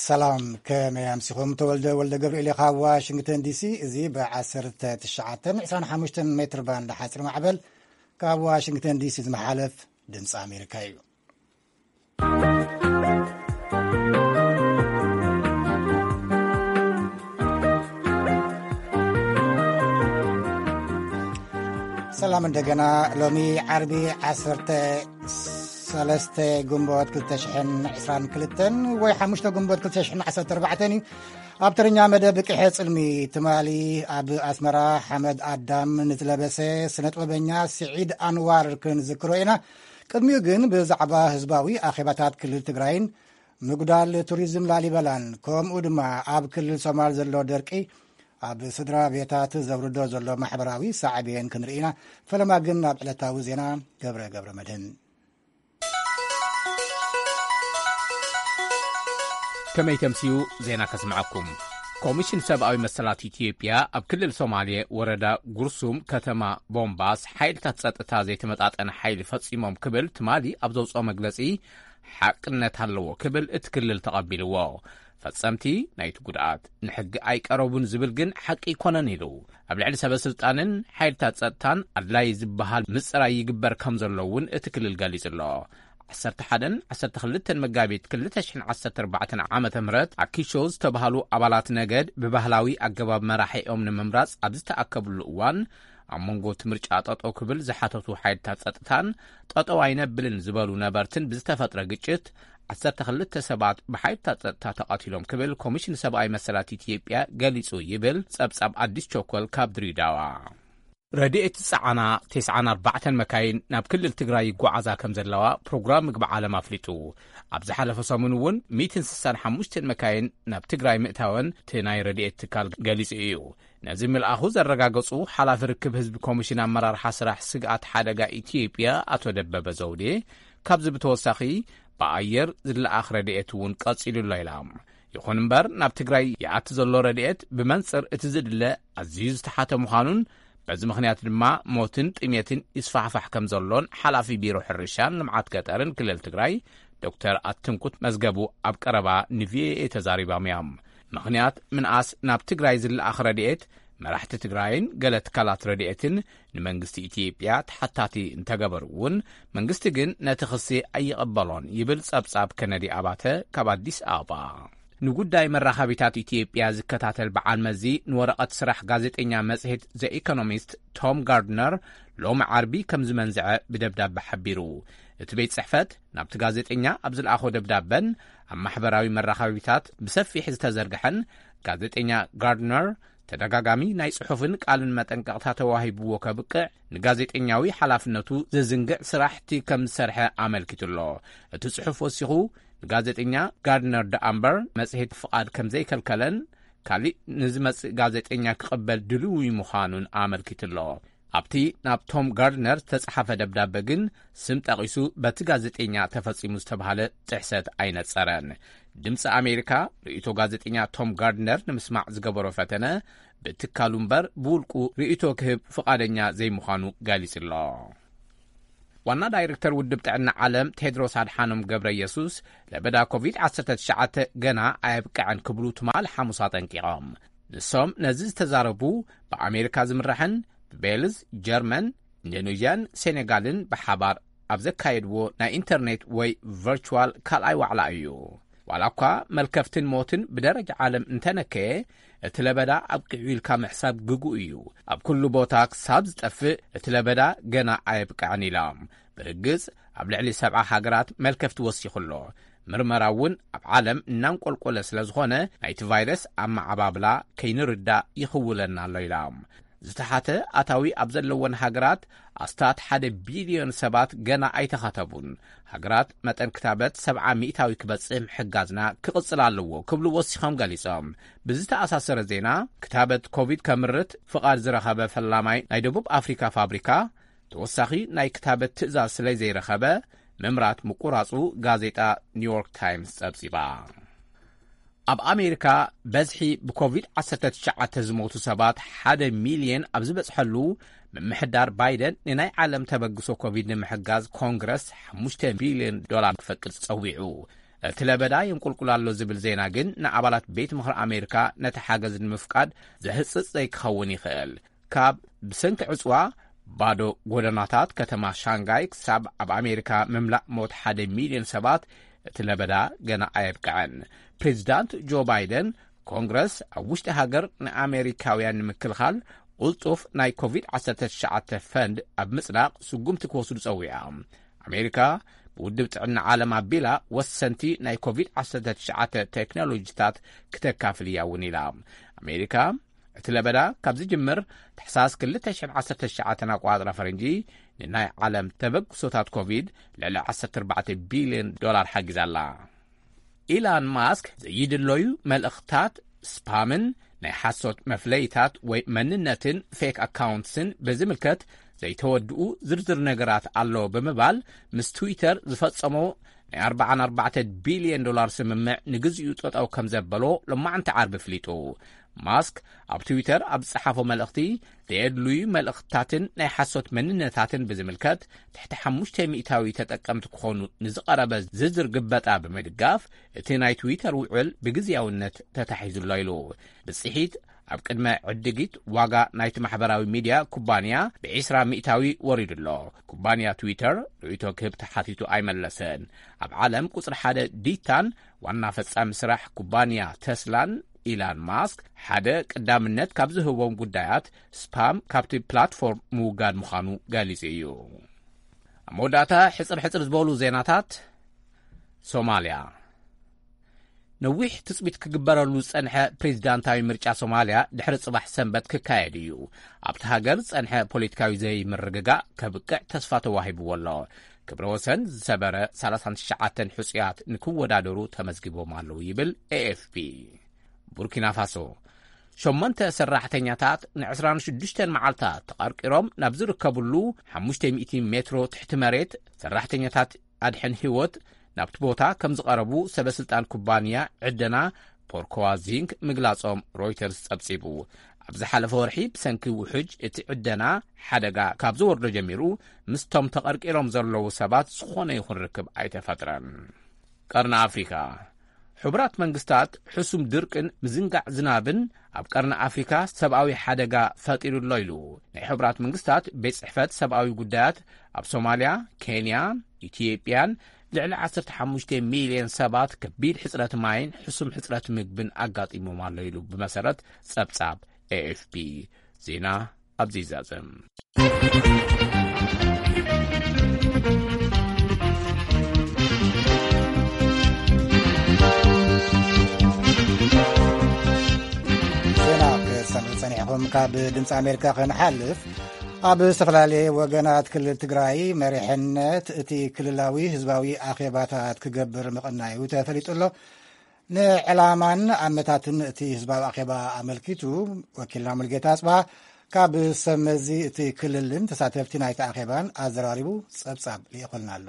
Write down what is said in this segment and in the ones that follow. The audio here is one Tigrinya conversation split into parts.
ሰላም፣ ከመይ ኣምሲኹም? ተወልደ ወልደ ገብርኤል ካብ ዋሽንግተን ዲሲ። እዚ ብ1925 ሜትር ባንድ ሓፂር ማዕበል ካብ ዋሽንግተን ዲሲ ዝመሓለፍ ድምፂ ኣሜሪካ እዩ። ሰላም እንደገና። ሎሚ ዓርቢ 13 ግንቦት 2022 ወይ 5 ግንቦት 2014 እዩ። ኣብ ትርኛ መደብ ቅሐ ጽልሚ ትማሊ ኣብ ኣስመራ ሓመድ ኣዳም ንዝለበሰ ስነጥበበኛ ስዒድ ኣንዋር ክንዝክሮ ኢና። ቅድሚኡ ግን ብዛዕባ ህዝባዊ ኣኼባታት ክልል ትግራይን ምጉዳል ቱሪዝም ላሊበላን ከምኡ ድማ ኣብ ክልል ሶማል ዘሎ ደርቂ ኣብ ስድራ ቤታት ዘውርዶ ዘሎ ማሕበራዊ ሳዕቤን ክንርኢ ኢና። ፈለማ ግን ናብ ዕለታዊ ዜና ገብረ ገብረ መድህን። ከመይ ተምስዩ ዜና ከስምዐኩም። ኮሚሽን ሰብኣዊ መሰላት ኢትዮጵያ ኣብ ክልል ሶማሌ ወረዳ ጉርሱም ከተማ ቦምባስ ሓይልታት ጸጥታ ዘይተመጣጠነ ሓይሊ ፈጺሞም ክብል ትማሊ ኣብ ዘውፅኦ መግለጺ ሓቅነት ኣለዎ ክብል እቲ ክልል ተቐቢልዎ። ፈጸምቲ ናይቲ ጉድኣት ንሕጊ ኣይቀረቡን ዝብል ግን ሓቂ ኣይኮነን ኢሉ። ኣብ ልዕሊ ሰበ ስልጣንን ሓይልታት ጸጥታን ኣድላይ ዝበሃል ምጽራይ ይግበር ከም ዘሎ እውን እቲ ክልል ገሊጹ ኣሎ። 11ን 12 መጋቢት 2014 ዓመተ ምህረት ኣኪሾ ዝተባህሉ ኣባላት ነገድ ብባህላዊ ኣገባብ መራሒኦም ንምምራጽ ኣብ ዝተኣከብሉ እዋን ኣብ መንጎ እቲ ምርጫ ጠጠው ክብል ዝሓተቱ ሓይልታት ጸጥታን ጠጠው ኣይነብልን ዝበሉ ነበርትን ብዝተፈጥረ ግጭት 12 ሰባት ብሓይልታት ጸጥታ ተቐቲሎም ክብል ኮሚሽን ሰብኣዊ መሰላት ኢትዮጵያ ገሊጹ ይብል ጸብጻብ ኣዲስ ቸኮል ካብ ድሬዳዋ። ረድኤት ዝጸዓና 94 መካይን ናብ ክልል ትግራይ ይጓዓዛ ከም ዘለዋ ፕሮግራም ምግቢ ዓለም ኣፍሊጡ። ኣብ ዝሓለፈ ሰሙን እውን 165 መካይን ናብ ትግራይ ምእታወን እቲ ናይ ረድኤት ትካል ገሊጹ እዩ። ነዚ ምልኣኹ ዘረጋገጹ ሓላፊ ርክብ ህዝቢ ኮሚሽን ኣመራርሓ ስራሕ ስግኣት ሓደጋ ኢትዮጵያ ኣቶ ደበበ ዘውዴ፣ ካብዚ ብተወሳኺ ብኣየር ዝለኣኽ ረድኤት እውን ቀጺሉ ኣሎ ኢላ። ይኹን እምበር ናብ ትግራይ ይኣቲ ዘሎ ረድኤት ብመንጽር እቲ ዝድለ ኣዝዩ ዝተሓተ ምዃኑን በዚ ምኽንያት ድማ ሞትን ጥሜትን ይስፋሕፋሕ ከም ዘሎን ሓላፊ ቢሮ ሕርሻን ልምዓት ገጠርን ክልል ትግራይ ዶክተር ኣትንኩት መዝገቡ ኣብ ቀረባ ንቪኦኤ ተዛሪቦም እዮም። ምኽንያት ምንኣስ ናብ ትግራይ ዝለኣኽ ረድኤት መራሕቲ ትግራይን ገለ ትካላት ረድኤትን ንመንግስቲ ኢትዮጵያ ተሓታቲ እንተገበሩ እውን መንግስቲ ግን ነቲ ክሲ ኣይቕበሎን ይብል ጸብጻብ ከነዲ ኣባተ ካብ ኣዲስ ኣበባ። ንጉዳይ መራኸቢታት ኢትዮጵያ ዝከታተል በዓል መዚ ንወረቐት ስራሕ ጋዜጠኛ መጽሔት ዘ ኢኮኖሚስት ቶም ጋርድነር ሎሚ ዓርቢ ከም ዝመንዝዐ ብደብዳበ ሓቢሩ። እቲ ቤት ጽሕፈት ናብቲ ጋዜጠኛ ኣብ ዝለኣኾ ደብዳበን ኣብ ማሕበራዊ መራኸቢታት ብሰፊሕ ዝተዘርግሐን ጋዜጠኛ ጋርድነር ተደጋጋሚ ናይ ጽሑፍን ቃልን መጠንቀቕታ ተዋሂብዎ ከብቅዕ ንጋዜጠኛዊ ሓላፍነቱ ዘዝንግዕ ስራሕቲ ከም ዝሰርሐ ኣመልኪቱ ኣሎ። እቲ ጽሑፍ ወሲኹ ንጋዜጠኛ ጋርድነር ደኣምበር መጽሔት ፍቓድ ከም ዘይከልከለን ካሊእ ንዝመጽእ ጋዜጠኛ ክቕበል ድልዊ ምዃኑን ኣመልኪቱ ኣሎ። ኣብቲ ናብ ቶም ጋርድነር ዝተጻሓፈ ደብዳበ ግን ስም ጠቒሱ በቲ ጋዜጠኛ ተፈጺሙ ዝተባህለ ጥሕሰት ኣይነጸረን። ድምፂ ኣሜሪካ ርእይቶ ጋዜጠኛ ቶም ጋርድነር ንምስማዕ ዝገበሮ ፈተነ ብትካሉ እምበር ብውልቁ ርእይቶ ክህብ ፍቓደኛ ዘይምዃኑ ገሊጹ ኣሎ። ዋና ዳይሬክተር ውድብ ጥዕና ዓለም ቴድሮስ ኣድሓኖም ገብረ ኢየሱስ ለበዳ ኮቪድ-19 ገና ኣየብቅዐን ክብሉ ትማል ሓሙስ ኣጠንቂቖም። ንሶም ነዚ ዝተዛረቡ ብኣሜሪካ ዝምራሕን ብቤልዝ፣ ጀርመን፣ ኢንዶኔዥያን ሴኔጋልን ብሓባር ኣብ ዘካየድዎ ናይ ኢንተርኔት ወይ ቨርቹዋል ካልኣይ ዋዕላ እዩ። ዋላ እኳ መልከፍትን ሞትን ብደረጃ ዓለም እንተነከየ፣ እቲ ለበዳ ኣብቂዑ ኢልካ ምሕሳብ ግጉእ እዩ። ኣብ ኩሉ ቦታ ክሳብ ዝጠፍእ እቲ ለበዳ ገና ኣየብቅዐን ኢሎም። ብርግጽ ኣብ ልዕሊ 70 ሃገራት መልከፍቲ ወሲኹ ኣሎ። ምርመራ እውን ኣብ ዓለም እናንቆልቆለ ስለ ዝኾነ ናይቲ ቫይረስ ኣመዓባብላ ከይንርዳእ ይኽውለና ኣሎ ኢሎም። ዝተሓተ ኣታዊ ኣብ ዘለወን ሃገራት ኣስታት ሓደ ቢልዮን ሰባት ገና ኣይተኸተቡን። ሃገራት መጠን ክታበት 70 ሚእታዊ ክበጽሕ ምሕጋዝና ክቕጽል ኣለዎ ክብሉ ወሲኾም ገሊጾም። ብዝተኣሳሰረ ዜና ክታበት ኮቪድ ከምርት ፍቓድ ዝረኸበ ፈላማይ ናይ ደቡብ ኣፍሪካ ፋብሪካ ተወሳኺ ናይ ክታበት ትእዛዝ ስለ ዘይረኸበ ምምራት ምቁራጹ ጋዜጣ ኒውዮርክ ታይምስ ጸብጺባ። ኣብ ኣሜሪካ በዝሒ ብኮቪድ-19 ዝሞቱ ሰባት ሓደ ሚልዮን ኣብ ዝበጽሐሉ ምምሕዳር ባይደን ንናይ ዓለም ተበግሶ ኮቪድ ንምሕጋዝ ኮንግረስ 5 ቢልዮን ዶላር ክፈቅድ ጸዊዑ። እቲ ለበዳ የንቁልቁል ኣሎ ዝብል ዜና ግን ንኣባላት ቤት ምኽሪ ኣሜሪካ ነቲ ሓገዝ ንምፍቃድ ዘህጽጽ ዘይክኸውን ይኽእል። ካብ ብሰንኪ ዕጽዋ ባዶ ጎደናታት ከተማ ሻንጋይ ክሳብ ኣብ ኣሜሪካ ምምላእ ሞት ሓደ ሚልዮን ሰባት እቲ ለበዳ ገና ኣየብቅዐን። ፕሬዚዳንት ጆ ባይደን ኮንግረስ ኣብ ውሽጢ ሃገር ንኣሜሪካውያን ንምክልኻል ቅልጡፍ ናይ ኮቪድ ዓሰርተ ትሽዓተ ፈንድ ኣብ ምጽዳቕ ስጉምቲ ክወስዱ ጸዊዓ። ኣሜሪካ ብውድብ ጥዕና ዓለም ኣቢላ ወሰንቲ ናይ ኮቪድ ዓሰርተ ትሽዓተ ቴክኖሎጂታት ክተካፍል እያ እውን ኢላ። ኣሜሪካ እቲ ለበዳ ካብ ዝጅምር ታሕሳስ ክልተ ሽሕን ዓሰርተ ትሽዓተን ኣቋጽራ ፈረንጂ ንናይ ዓለም ተበግሶታት ኮቪድ ልዕሊ ዓሰርተ ኣርባዕተ ቢልዮን ዶላር ሓጊዛ ኣላ። ኢላን ማስክ ዘይድለዩ መልእኽታት ስፓምን ናይ ሓሶት መፍለይታት ወይ መንነትን ፌክ ኣካውንትስን ብዝምልከት ዘይተወድኡ ዝርዝር ነገራት ኣሎ ብምባል ምስ ትዊተር ዝፈጸሞ ናይ ኣርባዓን ኣርባዕተ ቢልዮን ዶላር ስምምዕ ንግዚኡ ጠጠው ከም ዘበሎ ሎማዕንቲ ዓርቢ ኣፍሊጡ። ማስክ ኣብ ትዊተር ኣብ ዝጸሓፎ መልእኽቲ ዘየድልዩ መልእኽትታትን ናይ ሓሶት መንነታትን ብዝምልከት ትሕቲ ሓሙሽተ ሚእታዊ ተጠቀምቲ ክኾኑ ንዝቐረበ ዝርዝር ግበጣ ብምድጋፍ እቲ ናይ ትዊተር ውዕል ብግዝያውነት ተታሒዙ ኣሎ ኢሉ። ብጽሒት ኣብ ቅድመ ዕድጊት ዋጋ ናይቲ ማሕበራዊ ሚድያ ኩባንያ ብዒስራ ሚእታዊ ወሪዱ ኣሎ። ኩባንያ ትዊተር ርእይቶ ክህብ ተሓቲቱ ኣይመለሰን። ኣብ ዓለም ቁጽሪ ሓደ ዲታን ዋና ፈጻሚ ስራሕ ኩባንያ ተስላን ኢላን ማስክ ሓደ ቀዳምነት ካብ ዝህቦም ጉዳያት ስፓም ካብቲ ፕላትፎርም ምውጋድ ምዃኑ ገሊጹ እዩ። ኣብ መወዳእታ ሕጽር ሕጽር ዝበሉ ዜናታት። ሶማልያ። ነዊሕ ትጽቢት ክግበረሉ ዝጸንሐ ፕሬዚዳንታዊ ምርጫ ሶማልያ ድሕሪ ጽባሕ ሰንበት ክካየድ እዩ። ኣብቲ ሃገር ዝጸንሐ ፖለቲካዊ ዘይምርግጋእ ከብቅዕ ተስፋ ተዋሂብዎ ኣሎ። ክብረ ወሰን ዝሰበረ ሰላሳን ትሽዓተን ሕጹያት ንክወዳደሩ ተመዝጊቦም ኣለዉ ይብል ኤኤፍፒ። ቡርኪና ፋሶ። ሸሞንተ ሰራሕተኛታት ንዕስራን ሽዱሽተን መዓልታት ተቐርቂሮም ናብ ዝርከብሉ ሓሙሽተ ሚእቲ ሜትሮ ትሕቲ መሬት ሰራሕተኛታት ኣድሕን ህይወት ናብቲ ቦታ ከም ዝቐረቡ ሰበስልጣን ኩባንያ ዕደና ፖርኮዋ ዚንክ ምግላጾም ሮይተርስ ጸብጺቡ። ኣብ ዝሓለፈ ወርሒ ብሰንኪ ውሑጅ እቲ ዕደና ሓደጋ ካብ ዝወርዶ ጀሚሩ ምስቶም ተቐርቂሮም ዘለዉ ሰባት ዝኾነ ይኹን ርክብ ኣይተፈጥረን። ቀርኒ ኣፍሪካ። ሕቡራት መንግስታት ሕሱም ድርቅን ምዝንጋዕ ዝናብን ኣብ ቀርኒ ኣፍሪካ ሰብኣዊ ሓደጋ ፈጢሩ ኣሎ ኢሉ ናይ ሕቡራት መንግስታት ቤት ጽሕፈት ሰብኣዊ ጉዳያት። ኣብ ሶማልያ፣ ኬንያ፣ ኢትዮጵያን ልዕሊ ዓሰርተ ሓሙሽተ ሚልዮን ሰባት ከቢድ ሕጽረት ማይን ሕሱም ሕጽረት ምግብን ኣጋጢሞም ኣሎ ኢሉ ብመሰረት ጸብጻብ ኤኤፍፒ። ዜና ኣብዚ ይዛዘም። ዜና ክትሰምዑ ጸኒሕኹም ካብ ድምፂ ኣሜሪካ ክንሓልፍ፣ ኣብ ዝተፈላለየ ወገናት ክልል ትግራይ መሪሕነት እቲ ክልላዊ ህዝባዊ ኣኼባታት ክገብር ምቕናዩ ተፈሊጡ ኣሎ። ንዕላማን ኣመታትን እቲ ህዝባዊ ኣኼባ ኣመልኪቱ ወኪልና ሙልጌታ ኣጽብሃ ካብ ሰብ መዚ እቲ ክልልን ተሳተፍቲ ናይቲ ኣኼባን ኣዘራሪቡ ጸብጻብ ልኢኹልና ኣሎ።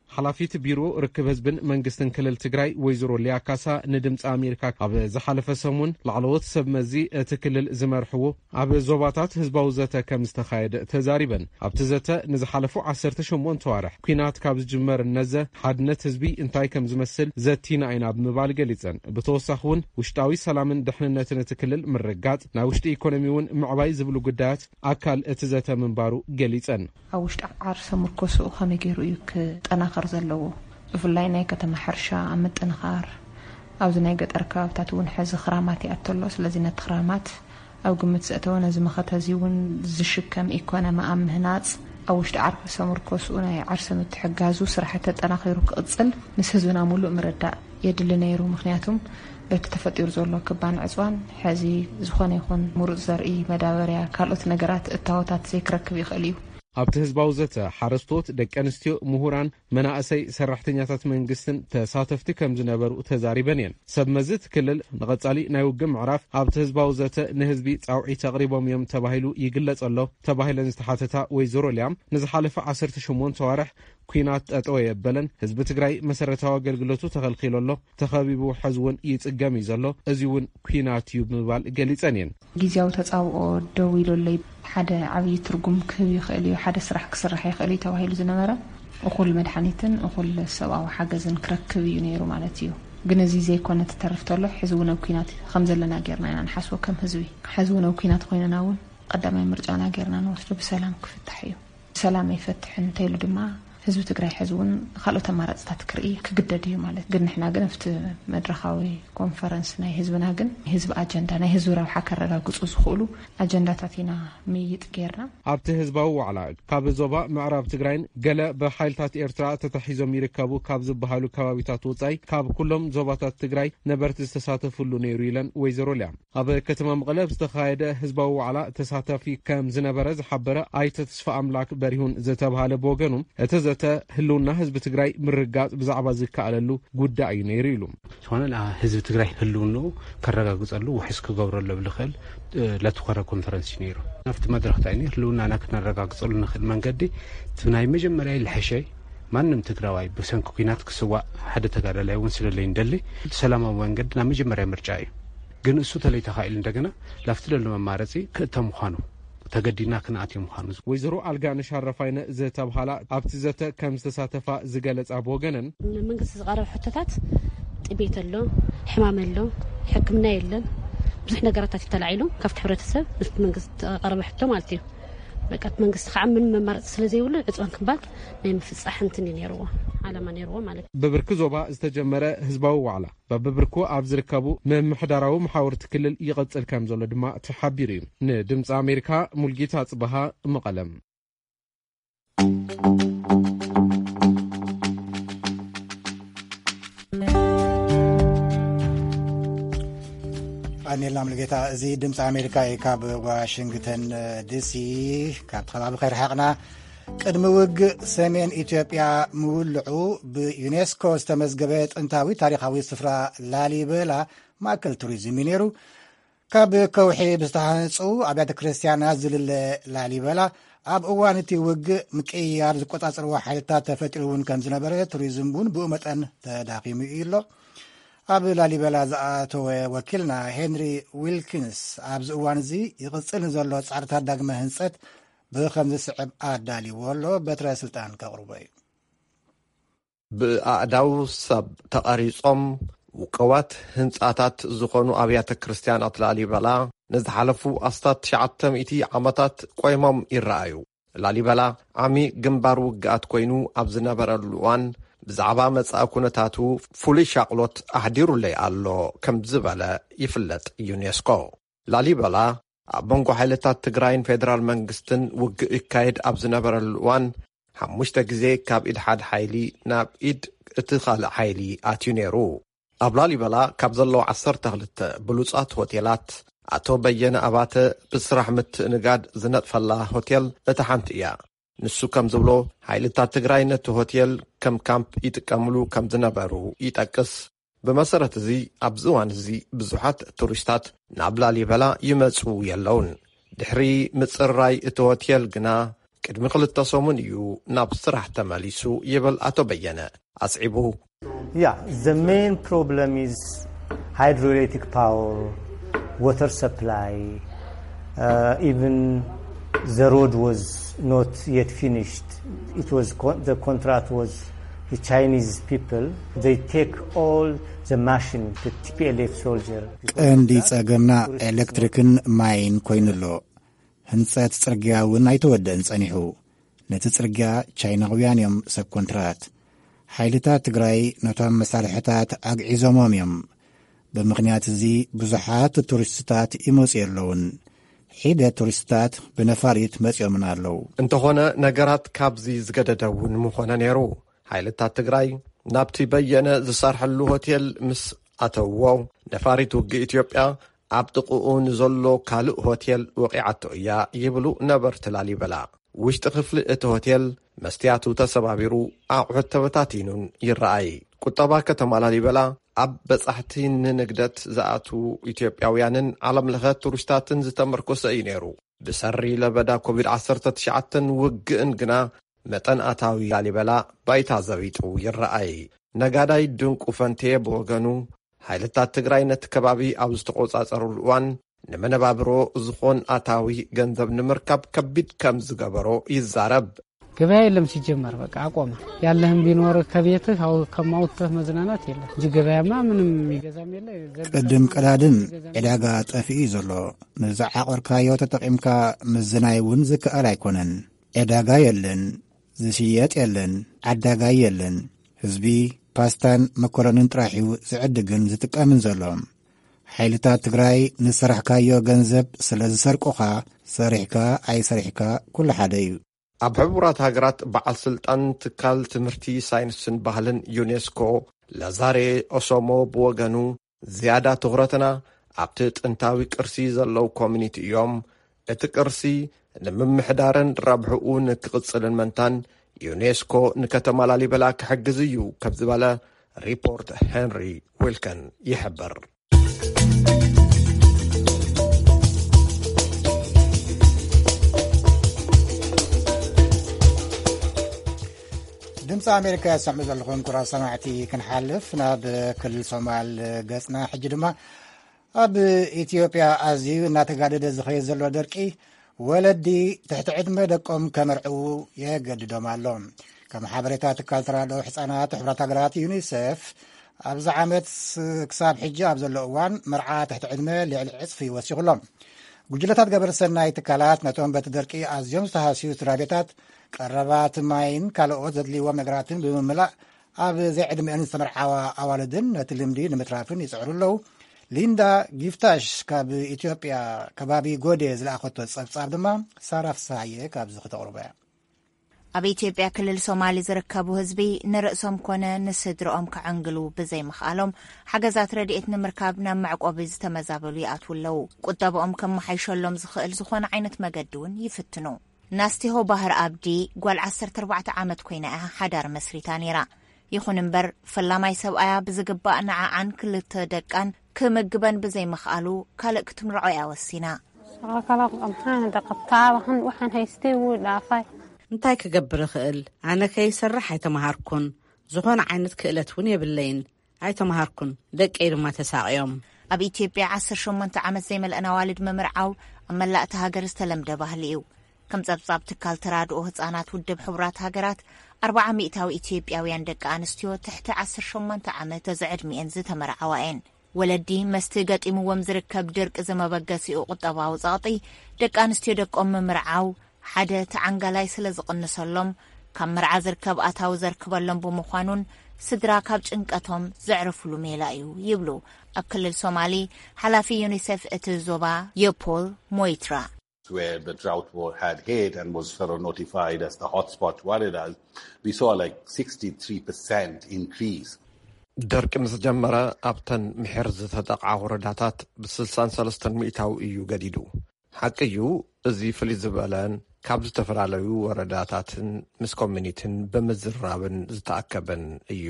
ሓላፊት ቢሮ ርክብ ህዝብን መንግስትን ክልል ትግራይ ወይዘሮ ሊያ ካሳ ንድምፂ ኣሜሪካ ኣብ ዝሓለፈ ሰሙን ላዕለዎት ሰብ መዚ እቲ ክልል ዝመርሕዎ ኣብ ዞባታት ህዝባዊ ዘተ ከም ዝተኻየደ ተዛሪበን። ኣብቲ ዘተ ንዝሓለፉ ዓሰርተ ሸሞንተ ዋርሕ ኲናት ካብ ዝጅመር እነዘ ሓድነት ህዝቢ እንታይ ከም ዝመስል ዘቲና ኢና ብምባል ገሊጸን። ብተወሳኺ እውን ውሽጣዊ ሰላምን ድሕንነትን እቲ ክልል ምርጋጽ፣ ናይ ውሽጢ ኢኮኖሚ እውን ምዕባይ ዝብሉ ጉዳያት ኣካል እቲ ዘተ ምንባሩ ገሊጸን። ኣብ ውሽጢ ዓርሰ ምርኮስኡ ከመይ ገይሩ እዩ ክጠናኸር ዘለዎ? ብፍላይ ናይ ከተማ ሕርሻ ኣብ ምጥንኻር፣ ኣብዚ ናይ ገጠር ከባብታት እውን ሕዚ ክራማት ይኣቱ ኣሎ። ስለዚ ነቲ ክራማት ኣብ ግምት ዘእተወ ነዚ መኸተ እዚ እውን ዝሽከም ኢኮኖሚ ኣብ ምህናፅ ኣብ ውሽጢ ዓርሰ ምርኮስኡ ናይ ዓርሰ ምትሕጋዙ ስራሕ ተጠናኺሩ ክቕፅል ምስ ህዝብና ሙሉእ ምርዳእ የድሊ ነይሩ። ምኽንያቱም በቲ ተፈጢሩ ዘሎ ክባን ዕፅዋን ሕዚ ዝኾነ ይኹን ምሩፅ ዘርኢ፣ መዳበርያ፣ ካልኦት ነገራት እታወታት ዘይክረክብ ይኽእል እዩ። ኣብቲ ህዝባዊ ዘተ ሓረስቶት፣ ደቂ ኣንስትዮ፣ ምሁራን፣ መናእሰይ፣ ሰራሕተኛታት መንግስትን ተሳተፍቲ ከም ዝነበሩ ተዛሪበን እየን። ሰብ መዚ እቲ ክልል ንቐጻሊ ናይ ውግእ ምዕራፍ ኣብቲ ህዝባዊ ዘተ ንህዝቢ ጻውዒት ኣቕሪቦም እዮም ተባሂሉ ይግለጽ ኣሎ ተባሂለን ዝተሓተታ ወይዘሮ ሊያም ንዝሓለፈ ዓሰርተ ሸሞንተ ዋርሕ ኲናት ጠጠው የበለን፣ ህዝቢ ትግራይ መሰረታዊ ኣገልግሎቱ ተኸልኪሉ ኣሎ፣ ተኸቢቡ ሕዚ እውን ይጽገም እዩ ዘሎ፣ እዚ እውን ኲናት እዩ ብምባል ገሊጸን እየን። ግዝያዊ ተጻብኦ ደው ኢሉ ኣሎ። ሓደ ዓብዪ ትርጉም ክህብ ይኽእል እዩ፣ ሓደ ስራሕ ክስራሕ ይኽእል እዩ ተባሂሉ ዝነበረ እኹል መድሓኒትን እኹል ሰብኣዊ ሓገዝን ክረክብ እዩ ነይሩ ማለት እዩ። ግን እዚ ዘይኮነ ትተርፍ ተሎ፣ ሕዚ እውን ኣብ ኲናት ከም ዘለና ጌርና ኢና ንሓስቦ ከም ህዝቢ። ሕዚ እውን ኣብ ኲናት ኮይንና እውን ቀዳማይ ምርጫና ጌርና ንወስዶ ብሰላም ክፍታሕ እዩ። ሰላም ኣይፈትሕን እንተይሉ ድማ ህዝቢ ትግራይ ሕዚ እውን ካልኦት ኣማራፅታት ክርኢ ክግደድ እዩ ማለት። ግን ንሕና ግን ኣብቲ መድረኻዊ ኮንፈረንስ ናይ ህዝብና ግን ህዝቢ ኣጀንዳ ናይ ህዝቢ ረብሓ ከረጋግፁ ዝኽእሉ ኣጀንዳታት ኢና ምይጥ ጌርና። ኣብቲ ህዝባዊ ዋዕላ ካብ ዞባ ምዕራብ ትግራይን ገለ ብሓይልታት ኤርትራ ተታሒዞም ይርከቡ ካብ ዝበሃሉ ከባቢታት ወጻኢ ካብ ኩሎም ዞባታት ትግራይ ነበርቲ ዝተሳተፍሉ ነይሩ ኢለን ወይዘሮ ሊያ። ኣብ ከተማ መቐለ ዝተኻየደ ህዝባዊ ዋዕላ ተሳታፊ ከም ዝነበረ ዝሓበረ ኣይተ ተስፋ ኣምላክ በሪሁን ዝተብሃለ ብወገኑ፣ እቲ ዘተ ህልውና ህዝቢ ትግራይ ምርጋጽ ብዛዕባ ዝከኣለሉ ጉዳይ እዩ ነይሩ ኢሉ። ዝኾነ ህዝቢ ትግራይ ህልውንኡ ከረጋግጸሉ ውሕስ ክገብረሉ ብልኽእል ለትኾረ ኮንፈረንስ እዩ ነይሩ። ኣብቲ መድረኽ እንታይ ነይሩ? ህልውናና ክነረጋግጸሉ ንኽእል መንገዲ እቲ ናይ መጀመርያ ልሐሸይ ማንም ትግራዋይ ብሰንኪ ኲናት ክስዋእ ሓደ ተጋዳላይ እውን ስለለይ እንደሊ ሰላማዊ መንገዲ ናብ መጀመርያ ምርጫ እዩ። ግን እሱ ተለይተኻኢሉ እንደገና ላፍቲ ለሎ መማረፂ ክእተ ምዃኑ ተገዲድና ክንኣትዮ ምዃኑ። ወይዘሮ ኣልጋነሽ ኣረፋይነ ዝተብሃላ ኣብቲ ዘተ ከም ዝተሳተፋ ዝገለጻ ብወገነን፣ ንመንግስቲ ዝቐረበ ሕቶታት ጥቤት ኣሎ፣ ሕማም ኣሎ፣ ሕክምና የለን፣ ብዙሕ ነገራታት እዩ ተላዒሉ ካብቲ ሕብረተሰብ ምስቲ መንግስቲ ዝቐረበ ሕቶ ማለት እዩ። በቃ እቲ መንግስቲ ከዓ ምንም መማረፂ ስለ ዘይብሉ ዕፅዋን ክንባል ናይ ምፍፃሕ እንትን እዩ ነይርዎ፣ ዓላማ ነይርዎ ማለት እዩ። ብብርኪ ዞባ ዝተጀመረ ህዝባዊ ዋዕላ በብብርኩ ኣብ ዝርከቡ ምምሕዳራዊ መሓውርቲ ክልል ይቐጽል ከም ዘሎ ድማ ተሓቢሩ እዩ። ንድምፂ ኣሜሪካ ሙልጌታ ጽበሃ፣ መቐለም። ኣኔላ ሙልጌታ፣ እዚ ድምፂ ኣሜሪካ እዩ፣ ካብ ዋሽንግተን ዲሲ፣ ካብቲ ከባቢ ከይረሓቕና። ቅድሚ ውግእ ሰሜን ኢትዮጵያ ምውልዑ ብዩኔስኮ ዝተመዝገበ ጥንታዊ ታሪኻዊ ስፍራ ላሊበላ ማእከል ቱሪዝም እዩ ነይሩ። ካብ ከውሒ ብዝተሃንጹ ኣብያተ ክርስቲያናት ዝልለ ላሊበላ ኣብ እዋን እቲ ውግእ ምቅይያር ዝቆጻጸርዎ ሓይልታት ተፈጢሩ እውን ከም ዝነበረ፣ ቱሪዝም እውን ብኡ መጠን ተዳኺሙ እዩ ኣሎ። ኣብ ላሊበላ ዝኣተወ ወኪልና ሄንሪ ዊልኪንስ ኣብዚ እዋን እዚ ይቕጽል ንዘሎ ጻዕርታት ዳግመ ህንጸት ብኸም ዝስዕብ ኣዳልይዎ ኣሎ። በትረ ስልጣን ከቕርቦ እዩ። ብኣእዳው ሰብ ተቐሪጾም ውቁባት ህንጻታት ዝኾኑ ኣብያተ ክርስቲያናት ላሊበላ ንዝሓለፉ ኣስታት ትሽዓተ ሚእቲ ዓመታት ቆይሞም ይረኣዩ። ላሊበላ ዓሚ ግንባር ውግኣት ኮይኑ ኣብ ዝነበረሉ እዋን ብዛዕባ መጻኢ ኩነታቱ ፍሉይ ሻቕሎት ኣሕዲሩለይ ኣሎ ከም ዝበለ ይፍለጥ ዩኔስኮ። ላሊበላ ኣብ መንጎ ሓይልታት ትግራይን ፌደራል መንግስትን ውግእ ይካየድ ኣብ ዝነበረሉ እዋን ሓሙሽተ ግዜ ካብ ኢድ ሓደ ሓይሊ ናብ ኢድ እቲ ካልእ ሓይሊ ኣትዩ ነይሩ። ኣብ ላሊበላ ካብ ዘለዉ ዓሰርተ ክልተ ብሉጻት ሆቴላት፣ ኣቶ በየነ ኣባተ ብስራሕ ምትእንጋድ ዝነጥፈላ ሆቴል እታ ሓንቲ እያ። ንሱ ከም ዝብሎ፣ ሓይልታት ትግራይ ነቲ ሆቴል ከም ካምፕ ይጥቀምሉ ከም ዝነበሩ ይጠቅስ። ብመሰረት እዚ፣ ኣብዚ እዋን እዚ ብዙሓት ቱሪስታት ናብ ላሊበላ ይመጹ የለውን። ድሕሪ ምጽራይ እቲ ሆቴል ግና፣ ቅድሚ ክልተ ሰሙን እዩ ናብ ስራሕ ተመሊሱ ይብል ኣቶ በየነ። ኣስዒቡ፣ Yeah, the main problem is hydroelectric power, water supply, uh, even the road was not yet finished. It was con- the contract was the Chinese people. They take all the machine, the T P L F soldier. ቀንዲ ጸገምና ኤሌክትሪክን ማይን ኮይኑ ኣሎ። ህንጸት ጽርግያ እውን ኣይተወደእን ጸኒሑ። ነቲ ጽርግያ ቻይናውያን እዮም ሰብ ኮንትራት። ሓይልታት ትግራይ ነቶም መሳርሕታት ኣግዒዞሞም እዮም። ብምኽንያት እዚ ብዙሓት ቱሪስትታት ይመጹ የለውን። ሒደት ቱሪስትታት ብነፋሪት መጺኦምና ኣለዉ። እንተኾነ ነገራት ካብዚ ዝገደደ እውን ምኾነ ነይሩ። ሓይልታት ትግራይ ናብቲ በየነ ዝሰርሐሉ ሆቴል ምስ ኣተውዎ፣ ነፋሪት ውግእ ኢትዮጵያ ኣብ ጥቕኡ ንዘሎ ካልእ ሆቴል ወቒዓቶ እያ ይብሉ ነበርቲ ላሊበላ። ውሽጢ ክፍሊ እቲ ሆቴል መስትያቱ ተሰባቢሩ፣ ኣቑሑት ተበታቲኑን ይረኣይ። ቁጠባ ከተማ ላሊበላ ኣብ በጻሕቲ ንንግደት ዝኣትዉ ኢትዮጵያውያንን ዓለምለኸ ቱሪስታትን ዝተመርኮሰ እዩ ነይሩ። ብሰሪ ለበዳ ኮቪድ ዓሰርተ ትሽዓተን ውግእን ግና መጠን ኣታዊ ላሊበላ ባይታ ዘቢጡ ይረኣይ። ነጋዳይ ድንቁ ፈንቴ ብወገኑ፣ ሓይልታት ትግራይ ነቲ ከባቢ ኣብ ዝተቖጻጸሩሉ እዋን፣ ንመነባብሮ ዝኾን ኣታዊ ገንዘብ ንምርካብ ከቢድ ከም ዝገበሮ ይዛረብ። ገበያ የለም ሲጀመር፣ በቃ አቆመ። ያለህም ቢኖር ከቤትህ አው-፣ ከማውጥተህ መዝናናት የለም እንጂ ገበያማ ምንም የሚገዛም የለ። ዘንድ ቅድም ቀዳድም ገዛም ዕዳጋ ጠፊኡ እዩ ዘሎ። ንዝዓቐርካዮ ተጠቒምካ ምዝናይ እውን ዝከኣል ኣይኮነን። ዕዳጋ የለን፣ ዝሽየጥ የለን፣ ዓዳጋይ የለን። ህዝቢ ፓስታን መኮረንን ጥራሕ እዩ ዝዕድግን ዝጥቀምን ዘሎ። ሓይልታት ትግራይ ንዝሰራሕካዮ ገንዘብ ስለ ዝሰርቁኻ፣ ሰሪሕካ ኣይሰሪሕካ ኩሉ ሓደ እዩ። ኣብ ሕቡራት ሃገራት በዓል ስልጣን ትካል ትምህርቲ፣ ሳይንስን ባህልን ዩኔስኮ ላዛሬ ኦሶሞ ብወገኑ፣ ዝያዳ ትኹረትና ኣብቲ ጥንታዊ ቅርሲ ዘለዉ ኮሚኒቲ እዮም። እቲ ቅርሲ ንምምሕዳርን ረብሕኡ ንክቕጽልን መንታን ዩኔስኮ ንከተማ ላሊበላ ክሕግዝ እዩ ከም ዝበለ ሪፖርት ሄንሪ ዊልከን ይሕብር። ድምፂ ኣሜሪካ ይሰምዑ ዘለኹም ክቡራት ሰማዕቲ። ክንሓልፍ ናብ ክልል ሶማል ገፅና። ሕጂ ድማ ኣብ ኢትዮጵያ ኣዝዩ እናተጋደደ ዝኸይድ ዘሎ ደርቂ፣ ወለዲ ትሕቲ ዕድመ ደቆም ከመርዕዉ የገድዶም ኣሎ። ከም ሓበሬታ ትካል ተራድኦ ሕፃናት ሕቡራት ሃገራት ዩኒሴፍ፣ ኣብዚ ዓመት ክሳብ ሕጂ ኣብ ዘሎ እዋን መርዓ ትሕቲ ዕድመ ልዕሊ ዕፅፊ ወሲኹ ኣሎ። ጉጅለታት ገበረ ሰናይ ትካላት ነቶም በቲ ደርቂ ኣዝዮም ዝተሃስዩ ስድራ ቤታት ቀረባት ማይን ካልኦት ዘድልይዎም ነገራትን ብምምላእ፣ ኣብ ዘይዕድሚአን ዝተመርዓዋ ኣዋልድን ነቲ ልምዲ ንምትራፍን ይጽዕሩ ኣለዉ። ሊንዳ ጊፍታሽ ካብ ኢትዮጵያ ከባቢ ጎዴ ዝለኣኸቶ ጸብጻብ ድማ ሳራ ፍስሃየ ካብዚ ክተቕርቦ እያ። ኣብ ኢትዮጵያ ክልል ሶማሊ ዝርከቡ ህዝቢ ንርእሶም ኮነ ንስድርኦም ከዕንግሉ ብዘይምኽኣሎም፣ ሓገዛት ረድኤት ንምርካብ ናብ መዕቆቢ ዝተመዛበሉ ይኣትዉ ኣለዉ። ቁጠብኦም ከመሓይሸሎም ዝኽእል ዝኾነ ዓይነት መገዲ እውን ይፍትኑ። ናስቲሆ ባህር ኣብዲ ጓል ዓሰርተ ኣርባዕተ ዓመት ኮይና እያ ሓዳር መስሪታ ነይራ። ይኹን እምበር፣ ፈላማይ ሰብኣያ ብዝግባእ ንዓዓን ክልተ ደቃን ክምግበን ብዘይምኽኣሉ፣ ካልእ ክትምርዖ እያ ወሲና። Shaqo kale waxaan qabtaa, waxaan, waxaan haystay wuu dhaafay. እንታይ ክገብር እኽእል? ኣነ ከይሰርሕ ኣይተምሃርኩን። ዝኾነ ዓይነት ክእለት እውን የብለይን። ኣይተምሃርኩን። ደቀይ ድማ ተሳቕዮም። ኣብ ኢትዮጵያ ዓሰርተ ሸሞንተ ዓመት ዘይመልአን ኣዋልድ ምምርዓው ኣብ መላእቲ ሃገር ዝተለምደ ባህሊ እዩ። ከም ጸብጻብ ትካል ተራድኦ ህጻናት ውድብ ሕቡራት ሃገራት፣ ኣርብዓ ሚእታዊ ኢትዮጵያውያን ደቂ ኣንስትዮ ትሕቲ ዓሰርተ ሸሞንተ ዓመት ዘዕድሚኤን ዝተመርዓዋ እየን። ወለዲ መስቲ ገጢምዎም ዝርከብ ድርቂ ዝመበገሲኡ ቁጠባዊ ጸቕጢ፣ ደቂ ኣንስትዮ ደቆም ምምርዓው ሓደ ተዓንጋላይ ስለ ዝቕንሰሎም፣ ካብ መርዓ ዝርከብ ኣታዊ ዘርክበሎም ብምዃኑን ስድራ ካብ ጭንቀቶም ዘዕርፍሉ ሜላ እዩ ይብሉ ኣብ ክልል ሶማሊ ሓላፊ ዩኒሴፍ እቲ ዞባ የፖል ሞይትራ። Where the drought war had hit and was sort of notified as the hotspot Waredas, we saw like sixty-three percent increase. ደርቂ ምስ ጀመረ ኣብተን ምሒር ዝተጠቕዓ ወረዳታት ብ63 ሚእታዊ እዩ ገዲዱ። ሓቂ እዩ፣ እዚ ፍልይ ዝበለን ካብ ዝተፈላለዩ ወረዳታትን ምስ ኮሚኒቲን ብምዝራብን ዝተኣከበን እዩ።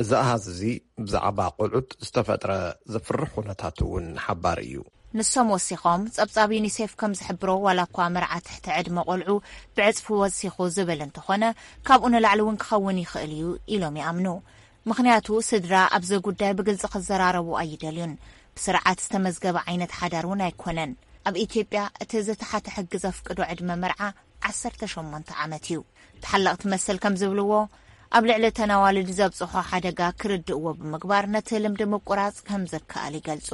እዚ ኣሃዝ እዚ ብዛዕባ ቆልዑት ዝተፈጥረ ዘፍርሕ ኩነታት እውን ሓባር እዩ። ንሶም ወሲኾም፣ ጸብጻብ ዩኒሴፍ ከም ዝሕብሮ፣ ዋላ እኳ መርዓ ትሕቲ ዕድመ ቆልዑ ብዕጽፊ ወሲኹ ዝብል እንተኾነ፣ ካብኡ ንላዕሊ እውን ክኸውን ይኽእል እዩ ኢሎም ይኣምኑ። ምኽንያቱ፣ ስድራ ኣብዚ ጉዳይ ብግልጺ ክዘራረቡ ኣይደልዩን። ብስርዓት ዝተመዝገበ ዓይነት ሓዳር እውን ኣይኮነን። ኣብ ኢትዮጵያ እቲ ዝተሓተ ሕጊ ዘፍቅዶ ዕድመ መርዓ ዓሰርተ ሸሞንተ ዓመት እዩ። ተሓለቕቲ መሰል ከም ዝብልዎ፣ ኣብ ልዕሊ እተን ኣዋልድ ዘብጽሖ ሓደጋ ክርድእዎ ብምግባር ነቲ ልምዲ ምቁራጽ ከም ዝከኣል ይገልጹ።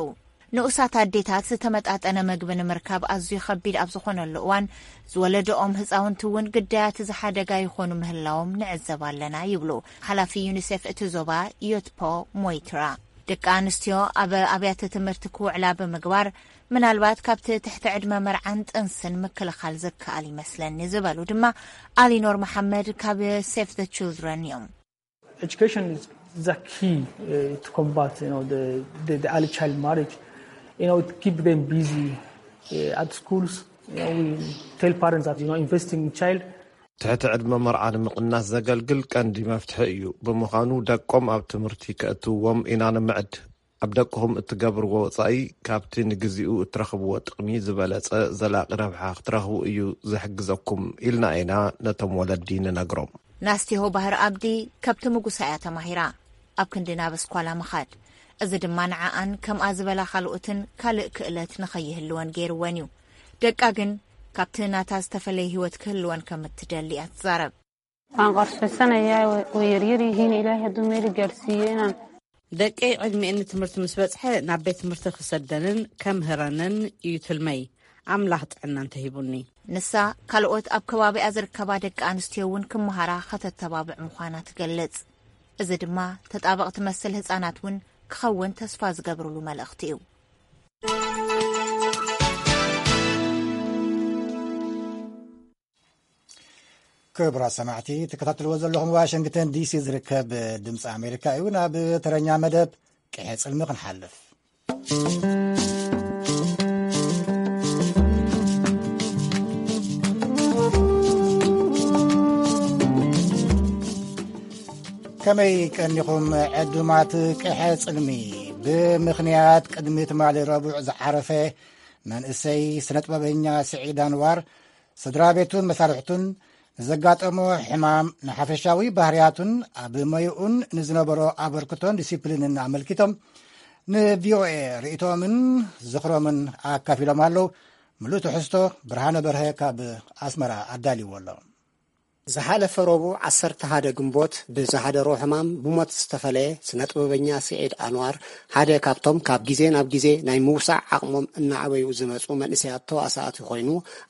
ንኡሳት ኣዴታት ዝተመጣጠነ መግቢ ንምርካብ ኣዝዩ ከቢድ ኣብ ዝኾነሉ እዋን፣ ዝወለደኦም ህጻውንቲ እውን ግዳያት እዚ ሓደጋ ይኾኑ ምህላዎም ንዕዘብ ኣለና ይብሉ ሓላፊ ዩኒሴፍ እቲ ዞባ ዮትፖ ሞይትራ። ደቂ ኣንስትዮ ኣብ ኣብያተ ትምህርቲ ክውዕላ ብምግባር፣ ምናልባት ካብቲ ትሕቲ ዕድመ መርዓን ጥንስን ምክልኻል ዝከኣል ይመስለኒ ዝበሉ ድማ ኣሊኖር መሓመድ ካብ ሴቭ ዘ ችልድረን እዮም። Education is the key uh, to combat, you know, the, the, the early child marriage. You know, it keep them busy uh, at schools. You know, we tell parents that, you know, investing in child. ትሕቲ ዕድመ መርዓ ንምቕናስ ዘገልግል ቀንዲ መፍትሒ እዩ። ብምዃኑ፣ ደቆም ኣብ ትምህርቲ ከእትውዎም ኢና ንምዕድ። ኣብ ደቅኹም እትገብርዎ ወጻኢ፣ ካብቲ ንግዚኡ እትረኽብዎ ጥቕሚ ዝበለጸ ዘላቒ ረብሓ ክትረኽቡ እዩ ዝሕግዘኩም ኢልና ኢና ነቶም ወለዲ ንነግሮም። ናስቲሆ ባህር ኣብዲ ከብቲ ምጉሳ እያ ተማሂራ። ኣብ ክንዲ ናብ ኣስኳላ ምኻድ፣ እዚ ድማ ንዓኣን ከምኣ ዝበላ ካልኦትን ካልእ ክእለት ንኸይህልወን ገይርወን እዩ። ደቃ ግን ካብቲ ናታ ዝተፈለየ ህይወት ክህልወን ከም እትደሊ እያ ትዛረብ። ኣንቃርሽ ፈሰነ እያ ወየርየር ይህን ኢላ ህዱ ሜል ገርሲየናን። ደቀይ ዕድሚኤን ንትምህርቲ ምስ በጽሐ ናብ ቤት ትምህርቲ ክሰደንን ከምህረንን እዩ ትልመይ። ኣምላኽ ጥዕና እንተሂቡኒ። ንሳ ካልኦት ኣብ ከባቢኣ ዝርከባ ደቂ ኣንስትዮ እውን ክመሃራ ከተተባብዕ ምዃና ትገልጽ። እዚ ድማ ተጣበቕ ትመስል ህጻናት እውን ክኸውን ተስፋ ዝገብርሉ መልእኽቲ እዩ። ክቡራት ሰማዕቲ፣ ትከታተልዎ ዘለኹም ዋሽንግተን ዲሲ ዝርከብ ድምፂ ኣሜሪካ እዩ። ናብ ተረኛ መደብ ቅሐ ፅልሚ ክንሓልፍ። ከመይ ቀኒኹም ዕዱማት ቅሐ ፅልሚ? ብምኽንያት ቅድሚ ትማሊ ረቡዕ ዝዓረፈ መንእሰይ ስነጥበበኛ ስዒድ ኣንዋር ስድራ ቤቱን መሳርሕቱን ንዘጋጠሞ ሕማም፣ ንሓፈሻዊ ባህርያቱን ኣብ ሞይኡን ንዝነበሮ ኣበርክቶን ዲሲፕሊንን ኣመልኪቶም ንቪኦኤ ርእይቶምን ዝኽሮምን ኣካፊሎም ኣለዉ። ምሉእ ትሕዝቶ ብርሃነ በርሀ ካብ ኣስመራ ኣዳልይዎ ኣሎ። ዝሓለፈ ረቡዕ ዓሰርተ ሓደ ግንቦት ብዝሓደሮ ሕማም ብሞት ዝተፈለየ ስነ ጥበበኛ ስዒድ ኣንዋር ሓደ ካብቶም ካብ ግዜ ናብ ግዜ ናይ ምውሳዕ ዓቕሞም እናዓበዩ ዝመጹ መንእሰያት ተዋሳእቲ ኮይኑ፣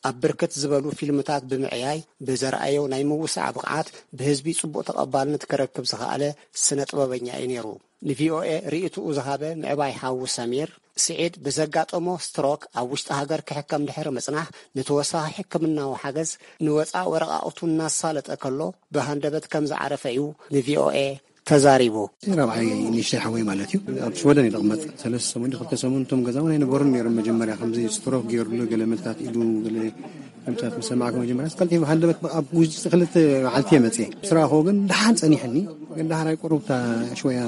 ኣብ ብርክት ዝበሉ ፊልምታት ብምዕያይ ብዘርኣዮ ናይ ምውሳዕ ብቕዓት ብህዝቢ ጽቡቕ ተቐባልነት ክረክብ ዝኸኣለ ስነ ጥበበኛ እዩ ነይሩ። ንቪኦኤ ርእይትኡ ዝሃበ ምዕባይ ሓዉ ሰሚር፣ ስዒድ ብዘጋጠሞ ስትሮክ ኣብ ውሽጢ ሃገር ክሕከም ድሕሪ ምጽናሕ፣ ንተወሳኺ ሕክምናዊ ሓገዝ ንወጻእ ወረቓቕቱ እናሳለጠ ከሎ ብሃንደበት ከም ዝዓረፈ እዩ ንቪኦኤ ተዛሪቡ። ራብዓይ ንእሽተይ ሓወይ ማለት እዩ። ኣብ ሽወደን እዩ ዝቕመጥ። ሰለስተ ሰሙን፣ ክልተ ሰሙን እቶም ገዛ እውን ኣይነበሩን ነይሮም። መጀመርያ ከምዚ ስትሮክ ገይሩሉ፣ ገለ መልታት ኢዱ፣ ገለ ከምታት ምስ ሰማዕኩ፣ መጀመርያ ቀልጢፉ ሃንደበት ኣብ ውሽጢ ክልተ መዓልቲ እየ መፅየ። ስራኹ ግን ደሓን ጸኒሕኒ። ግን ዳሕራይ ቁሩብ እታ ሽወያ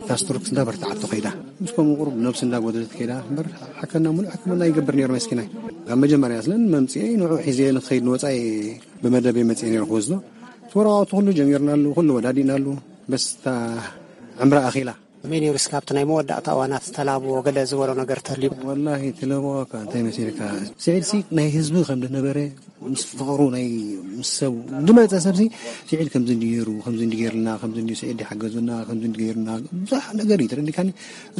እታ ስትሮክ እንዳበርትዓቶ ከይዳ። ምስ ከምኡ ቁሩብ ነብሱ እንዳጎደለት ከይዳ እምበር፣ ሓከና ሙሉእ ሕክምና ይገብር ነይሩ መስኪናይ። ካብ መጀመርያ ስለን መምፅኤ ንዑ ሒዘ ንክኸይድ ንወፃኢ ብመደብ እየ መፅኤ ነይሩ ክወስዶ። እቲ ወረቓቕቱ ኩሉ ጀሚርናሉ፣ ኩሉ ወዳዲእናሉ። በስ እታ ዕምራ ኣኺላ። ከመይ ነይሩ እስካብ እቲ ናይ መወዳእታ እዋናት ዝተላብዎ ገለ ዝበሎ ነገር ተልዩ? ወላሂ ትለብዎ እኳ እንታይ መሲልካ? ስዒድ ሲ ናይ ህዝቢ ከም ዝነበረ፣ ምስ ፍቕሩ ናይ ምስ ሰብ ዝመጸ ሰብ ሲ ስዒድ ከምዚ እንዲ ነይሩ፣ ከምዚ እንዲ ገይርልና፣ ከምዚ እንዲ ስዒድ ይሓገዙና፣ ከምዚ እንዲ ገይርና፣ ብዙሕ ነገር እዩ ተረዲካኒ።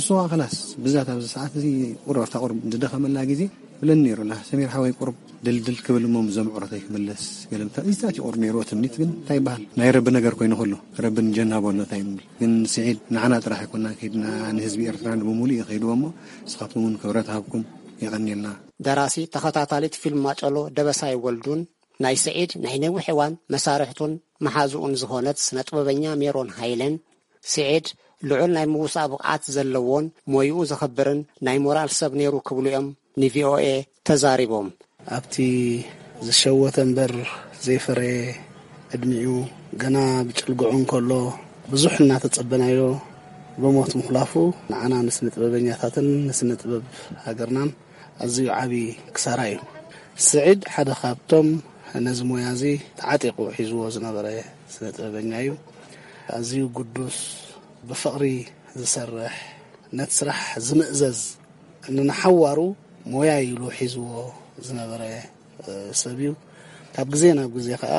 እሱ ኸዓ ኸላስ ብዛት ኣብዚ ሰዓት እዚ ቁሩብ ኣብታ ቁሩብ ዝደኸመላ ግዜ ብለን ነይሩ፣ ላ ሰሚር ሓወይ ቁሩብ ድልድል ክብል እሞ ምስ ዘምዕሮ እንታይ ክምለስ ገለ ምታ-፣ እዚ ጣት ይቑር ነይሩ ትምኒት ግን እንታይ ይበሃል? ናይ ረቢ ነገር ኮይኑ ከሎ ረቢ ንጀናቦ ኣሎ እንታይ ንብል። ግን ስዒድ ንዓና ጥራሕ ኣይኮናን ከይድና ንህዝቢ ኤርትራ ንብሙሉእ እዩ ከይድዎ እሞ ንስኻትኩም እውን ክብረት ሃብኩም የቐንየልና። ደራሲ ተኸታታሊት ፊልም ማጨሎ ደበሳይ ወልዱን ናይ ስዒድ ናይ ነዊሕ እዋን መሳርሕቱን መሓዝኡን ዝኾነት ስነ ጥበበኛ ሜሮን ሃይለን ስዒድ ልዑል ናይ ምውሳእ ብቕዓት ዘለዎን ሞይኡ ዘኽብርን ናይ ሞራል ሰብ ነይሩ ክብሉ እዮም ንቪኦኤ ተዛሪቦም። ኣብቲ ዝሸወተ እምበር ዘይፈረየ ዕድሚኡ ገና ብጭልግዑ እንከሎ ብዙሕ እናተጸበናዮ ብሞት ምኹላፉ ንዓና ንስነ ጥበበኛታትን ንስነ ጥበብ ሃገርናን ኣዝዩ ዓቢ ክሳራ እዩ። ስዒድ ሓደ ካብቶም ነዚ ሞያ እዚ ተዓጢቑ ሒዝዎ ዝነበረ ስነ ጥበበኛ እዩ። ኣዝዩ ግዱስ፣ ብፍቕሪ ዝሰርሕ፣ ነቲ ስራሕ ዝምእዘዝ፣ ንንሓዋሩ ሞያ ኢሉ ሒዝዎ ዝነበረ፣ እ፣ ሰብ እዩ። ካብ ግዜ ናብ ግዜ ከኣ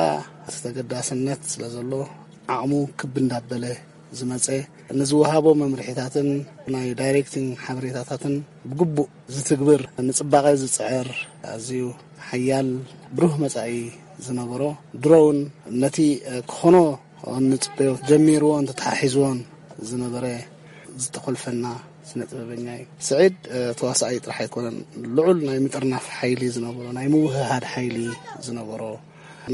እቲ ተገዳስነት ስለ ዘሎ ዓቕሙ ክብ እንዳበለ ዝመጸ፣ ንዝወሃቦ መምርሒታትን ናይ ዳይሬክቲንግ ሓበሬታታትን ብግቡእ ዝትግብር፣ ንጽባቐ ዝጽዕር፣ ኣዝዩ ሓያል ብሩህ መጻኢ ዝነበሮ፣ ድሮ እውን ነቲ፣ እ፣ ክኾኖ እንጽበዮ ጀሚርዎን ተተሓሒዝዎን ዝነበረ ዝተኾልፈና ስነ ጥበበኛ እዩ። ስዒድ፣ እ፣ ተዋሳኣይ ጥራሕ ኣይኮነን፣ ልዑል ናይ ምጥርናፍ ሓይሊ ዝነበሮ፣ ናይ ምውህሃድ ሓይሊ ዝነበሮ፣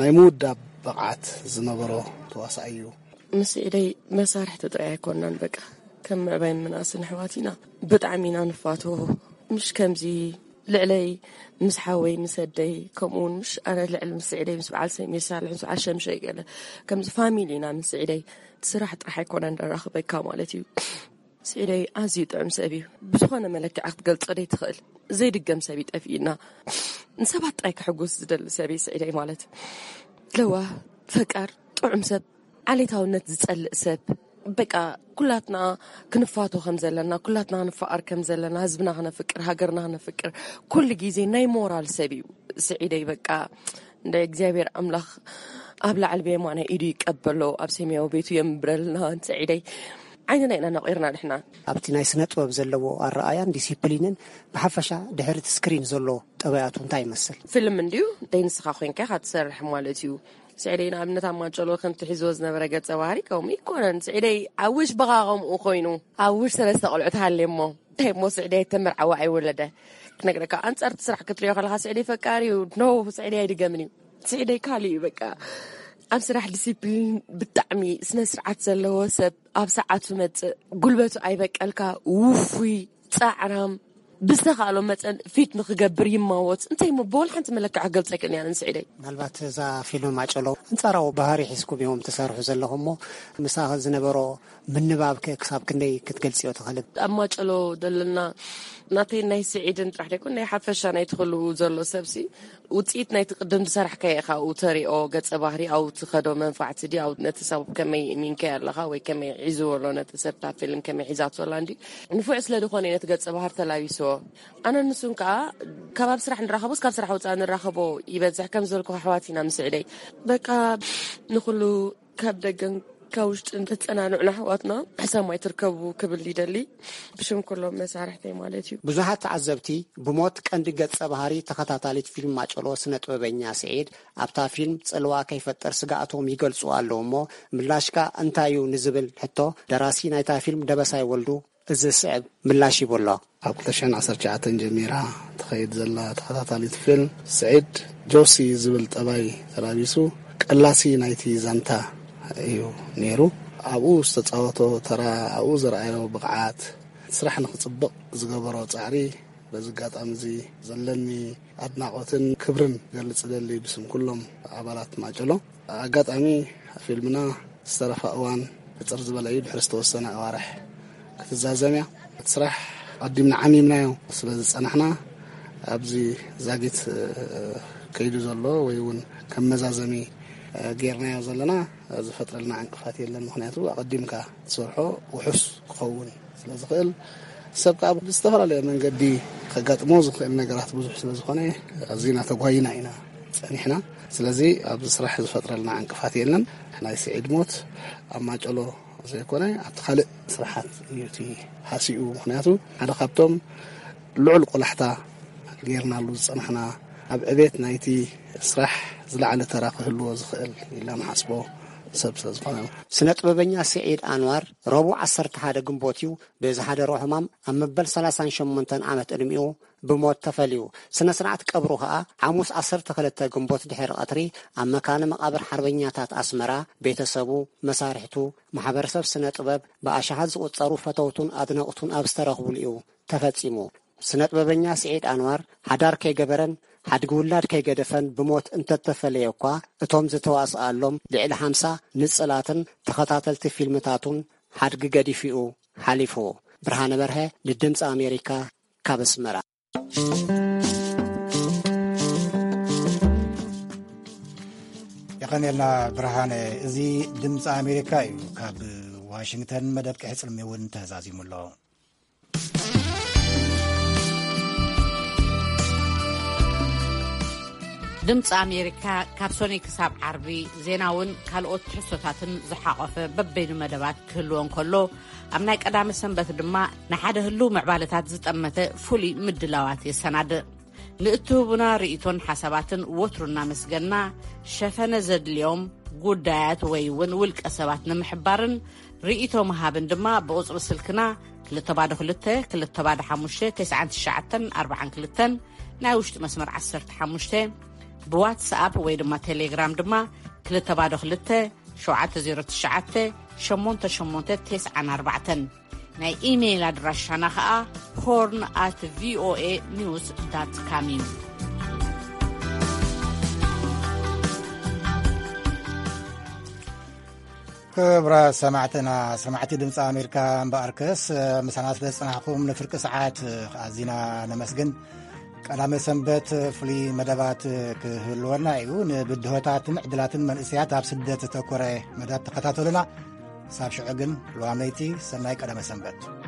ናይ ምውዳብ ብቕዓት ዝነበሮ ተዋሳኣይ እዩ። ምስ ስዒደይ መሳርሕቲ ጥራይ ኣይኮንናን፣ በቃ ከም ምዕባይን ምንኣስን ኣሕዋት ኢና። ብጣዕሚ ኢና ንፋትዎ። ምሽ ከምዚ ልዕለይ ምስ ሓወይ ምስ ኣደይ፣ ከምኡ እውን ምሽ ኣነ ልዕሊ ምስ ስዒደይ ምስ በዓል ሰሚር ሳልሕ ምስ በዓል ሸምሸይ ገለ ከምዚ ፋሚሊ ኢና። ምስ ስዒደይ እቲ ስራሕ ጥራሕ ኣይኮነን ደራኽበካ ማለት እዩ። ስዒደይ ኣዝዩ ጥዑም ሰብ እዩ። ብዝኾነ መለክዒ ክትገልጾ ዘይትኽእል ዘይድገም ሰብ እዩ ጠፊእና። ንሰባት ጥራይ ከሕጉስ ዝደሊ ሰብ እዩ ስዒደይ ማለት። ለዋህ፣ ፈቃር፣ ጥዑም ሰብ፣ ዓሌታውነት ዝጸልእ ሰብ። በቃ ኩላትና ክንፋቶ ከም ዘለና፣ ኩላትና ክንፈኣር ከም ዘለና፣ ህዝብና ክነፍቅር፣ ሃገርና ክነፍቅር ኩሉ ግዜ ናይ ሞራል ሰብ እዩ ስዒደይ። በቃ እንደ እግዚኣብሔር ኣምላኽ ኣብ ላዕሊ ብየማናይ ኢዱ ይቀበሎ፣ ኣብ ሰማያዊ ቤቱ የንብረልና። ንስዒደይ ዓይንና ኢና ነቒርና ንሕና። ኣብቲ ናይ ስነ ጥበብ ዘለዎ ኣረኣያን ዲሲፕሊንን ብሓፈሻ ድሕሪ እቲ ስክሪን ዘሎ ጠባያቱ እንታይ ይመስል? ፊልም እንድዩ ደይ ንስኻ ኮይንካ ኢኻ ትሰርሕ ማለት እዩ። ስዒደይ ንኣብነት ኣብ ማጨሎ ከምቲ ሒዝዎ ዝነበረ ገጸ ባህሪ ከምኡ ይኮነን። ስዒደይ ኣውሽ በኻ ከምኡ ኮይኑ ኣውሽ ሰለስተ ቆልዑ ተሃልየ እሞ እንታይ እሞ ስዒደይ ተመርዓዋ ኣይወለደ ክነግረካ። ኣንጻር እቲ ስራሕ ክትሪኦ ከለኻ ስዒደይ ፈቃሪ እዩ። ኖ፣ ስዒደይ ኣይድገምን እዩ። ስዒደይ ካልእ እዩ በቃ። ኣብ ስራሕ ዲሲፕሊን ብጣዕሚ ስነ ስርዓት ዘለዎ ሰብ፣ ኣብ ሰዓቱ መጽእ፣ ጉልበቱ ኣይበቀልካ፣ ውፉይ፣ ጻዕራም፣ ብዝተኻእሎ መጠን ፊት ንክገብር ይማወት። እንታይ እሞ ብወላ ሓንቲ መለክዓ ክገልጸ ኣይክእልን እያ ንስዒደይ። ምናልባት እዛ ፊልም ማጨሎ ኣንጻራዊ ባህሪ ሒዝኩም እዮም ትሰርሑ ዘለኹም እሞ ምሳኺ ዝነበሮ ምንባብ ከ ክሳብ ክንደይ ክትገልጽዮ ትኽእሊ? ኣብ ማጨሎ ዘለና ናተይ ናይ ስዒድን ጥራሕ ደይኮን ናይ ሓፈሻ ናይቲ ኩሉ ዘሎ ሰብሲ ውጽኢት ናይቲ ቅድም ዝሰራሕካዮ ኢኻ ኣብኡ ተሪኦ፣ ገጸ ባህሪ ኣብኡ ትኸዶ መንፋዕቲ ድዩ፣ ኣብኡ ነቲ ሰብ ከመይ እሚንካዮ ኣለኻ ወይ ከመይ ሒዝዎ ኣሎ ነቲ ሰብ እታ ፊልም ከመይ ሒዛቶ ኣላ እንድዩ ንፉዕ ስለ ዝኾነ እዩ ነቲ ገጸ ባህሪ ተላቢስዎ። ኣነ ንሱን ከኣ ካብ ኣብ ስራሕ ንራኸቦስ ካብ ስራሕ ወጻኢ ንራኸቦ ይበዝሕ ከም ዝበልኩ ኣሕዋት ኢና ምስ ስዒደይ። በቃ ንኹሉ ካብ ደገን ካብ ውሽጥን ተጸናንዑና ኣሕዋትና ሕሰም ኣይትርከቡ ክብል ይደሊ ብሽም ኩሎም መሳርሕተይ ማለት እዩ። ብዙሓት ተዓዘብቲ ብሞት ቀንዲ ገጸ ባህሪ ተኸታታሊት ፊልም ማጨሎ ስነ ጥበበኛ ስዒድ ኣብታ ፊልም ጽልዋ ከይፈጥር ስግኣቶም ይገልጹ ኣለዉ እሞ ምላሽካ እንታይ እዩ ንዝብል ሕቶ ደራሲ ናይታ ፊልም ደበሳይ ወልዱ እዚ ዝስዕብ ምላሽ ሂቡ ኣሎ። ካብ ክልተ ሽሕን ዓሰርተ ትሽዓተን ጀሚራ ትኸይድ ዘላ ተኸታታሊት ፊልም ስዒድ ጆሲ ዝብል ጠባይ ተላቢሱ ቀላሲ ናይቲ ዛንታ እዩ ነይሩ። ኣብኡ ዝተጻወቶ ተራ፣ ኣብኡ ዘርኣዮ ብቕዓት፣ ስራሕ ንኽጽብቕ ዝገበሮ ጻዕሪ በዚ ኣጋጣሚ እዚ ዘለኒ ኣድናቖትን ክብርን ገልጽ እደሊ ብስም ኩሎም ኣባላት ማጨሎ። ኣጋጣሚ ፊልምና ዝተረፋ እዋን ሕጽር ዝበለ እዩ፣ ድሕሪ ዝተወሰነ ኣዋርሕ ክትዛዘም እያ። እቲ ስራሕ ኣቐዲምና ዓሚምናዮ ስለ ዝጸናሕና ኣብዚ ዛጊት፣ እ፣ ከይዱ ዘሎ ወይ እውን ከም መዛዘሚ፣ እ፣ ጌርናዮ ዘለና ዝፈጥረልና ዕንቅፋት የለን። ምኽንያቱ ኣቐዲምካ ትሰርሖ ውሑስ ክኸውን ስለ ዝኽእል ሰብ ከኣ ብዝተፈላለየ መንገዲ ከጋጥሞ ዝኽእል ነገራት ብዙሕ ስለ ዝኾነ ኣዚና ተጓይና ኢና ጸኒሕና። ስለዚ ኣብዚ ስራሕ ዝፈጥረልና ዕንቅፋት የለን። ናይ ስዒድ ሞት ኣብ ማጨሎ ዘይኮነ ኣብቲ ካልእ ስራሓት እዩ እቲ ሃሲኡ። ምኽንያቱ ሓደ ካብቶም ልዑል ቆላሕታ ጌርናሉ ዝጸናሕና ኣብ ዕቤት ናይቲ ስራሕ ዝለዓለ ተራ ክህልዎ ዝኽእል ኢልና ንሓስቦ ሰብ ስለ ዝኾነ። ስነ ጥበበኛ ስዒድ ኣንዋር ረቡዕ ዓሰርተ ሓደ ግንቦት እዩ ብዝሓደሮ ሕማም ኣብ መበል ሰላሳን ሸሞንተን ዓመት ዕድሚኡ ብሞት ተፈልዩ። ስነ ስርዓት ቀብሩ ኸኣ ሓሙስ ዓሰርተ ክልተ ግንቦት ድሕሪ ቀትሪ ኣብ መካነ መቓብር ሓርበኛታት ኣስመራ ቤተሰቡ፣ መሳርሕቱ፣ ማሕበረሰብ ስነ ጥበብ ብኣሽሓት ዝቑጸሩ ፈተውቱን ኣድነቕቱን ኣብ ዝተረኽቡሉ እዩ ተፈጺሙ። ስነ ጥበበኛ ስዒድ ኣንዋር ሓዳር ከይገበረን ሓድጊ ውላድ ከይገደፈን ብሞት እንተተፈለየ እኳ እቶም ዝተዋስኣሎም ልዕሊ ሓምሳ ንጽላትን ተኸታተልቲ ፊልምታቱን ሓድጊ ገዲፉ'ዩ ሓሊፉ። ብርሃነ በርሀ ንድምፂ ኣሜሪካ ካብ ኣስመራ። የቐንየልና ብርሃነ። እዚ ድምፂ ኣሜሪካ እዩ። ካብ ዋሽንግተን መደብ ቅሕፅልሚ እውን ተዛዚሙ ኣሎ። ድምፂ ኣሜሪካ ካብ ሶኒ ክሳብ ዓርቢ ዜናውን ካልኦት ትሕዝቶታትን ዝሓቖፈ በበይኑ መደባት ክህልዎ እንከሎ፣ ኣብ ናይ ቀዳመ ሰንበት ድማ ንሓደ ህሉው ምዕባለታት ዝጠመተ ፍሉይ ምድላዋት የሰናድእ። ንእትህቡና ርእይቶን ሓሳባትን ወትሩ እናመስገንና፣ ሸፈነ ዘድልዮም ጉዳያት ወይ እውን ውልቀ ሰባት ንምሕባርን ርእይቶ ምሃብን ድማ ብቁጽሪ ስልክና ክልተ ባዶ ክልተ፣ ክልተ ባዶ ሓሙሽተ፣ ተስዓን ትሽዓተን ኣርባዓን ክልተን ናይ ውሽጢ መስመር ዓሰርተ ሓሙሽተ፣ ብዋትስኣፕ ወይ ድማ ቴሌግራም ድማ ክልተ ባዶ ክልተ፣ ሸውዓተ ዜሮ ትሽዓተ፣ ሸሞንተ ሸሞንተ ተስዓን ኣርባዕተን። ናይ ኢሜይል ኣድራሻና ኸኣ ሆርን ኣት ቪኦኤ ኒውስ ዳት ካም እዩ። ክቡራት ሰማዕትና፣ ሰማዕቲ ድምፂ ኣሜሪካ እምበኣርከስ፣ ምሳና ስለ ዝጸናሕኩም ንፍርቂ ሰዓት ኣዚና ነመስግን። ቀዳመ ሰንበት ፍሉይ መደባት ክህልወና እዩ። ንብድሆታትን ዕድላትን መንእሰያት ኣብ ስደት ዘተኮረ መደብ ተኸታተሉና። ሳብ ሽዑ ግን ልዋመይቲ ሰናይ ቀዳመ ሰንበት።